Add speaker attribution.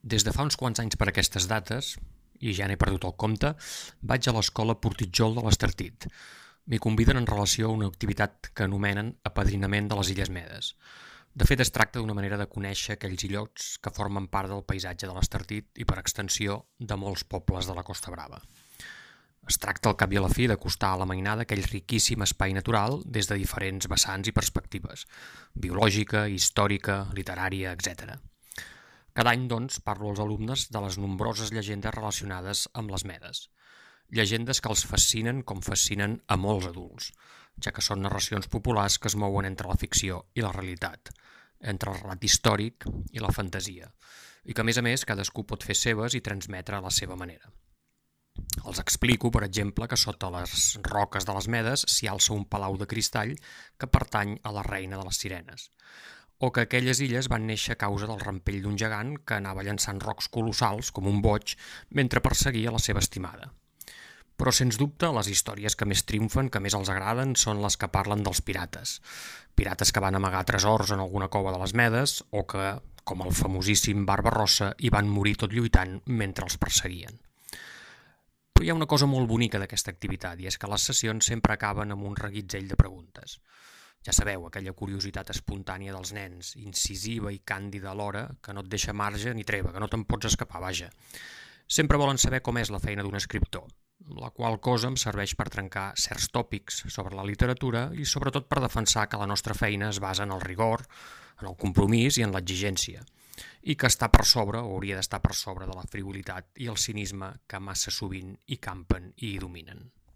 Speaker 1: Des de fa uns quants anys per aquestes dates, i ja n'he perdut el compte, vaig a l'escola Portitjol de l'Estartit. M'hi conviden en relació a una activitat que anomenen apadrinament de les Illes Medes. De fet, es tracta d'una manera de conèixer aquells illots que formen part del paisatge de l'Estartit i, per extensió, de molts pobles de la Costa Brava. Es tracta, al cap i a la fi, d'acostar a la mainada aquell riquíssim espai natural des de diferents vessants i perspectives, biològica, històrica, literària, etc. Cada any, doncs, parlo als alumnes de les nombroses llegendes relacionades amb les Medes. Llegendes que els fascinen com fascinen a molts adults, ja que són narracions populars que es mouen entre la ficció i la realitat, entre el relat històric i la fantasia, i que, a més, cadascú pot fer seves i transmetre a la seva manera. Els explico, per exemple, que sota les roques de les Medes s'hi alça un palau de cristall que pertany a la reina de les sirenes, o que aquelles illes van néixer a causa del rampell d'un gegant que anava llançant rocs colossals, com un boig, mentre perseguia la seva estimada. Però, sens dubte, les històries que més triomfen, que més els agraden, són les que parlen dels pirates. Pirates que van amagar tresors en alguna cova de les Medes o que, com el famosíssim Barbarossa, hi van morir tot lluitant mentre els perseguien. Però hi ha una cosa molt bonica d'aquesta activitat, i és que les sessions sempre acaben amb un reguitzell de preguntes. Ja sabeu, aquella curiositat espontània dels nens, incisiva i càndida alhora, que no et deixa marge ni treva, que no te'n pots escapar, vaja. Sempre volen saber com és la feina d'un escriptor, la qual cosa em serveix per trencar certs tòpics sobre la literatura i sobretot per defensar que la nostra feina es basa en el rigor, en el compromís i en l'exigència, i que està per sobre, o hauria d'estar per sobre, de la frivolitat i el cinisme que massa sovint hi campen i hi dominen.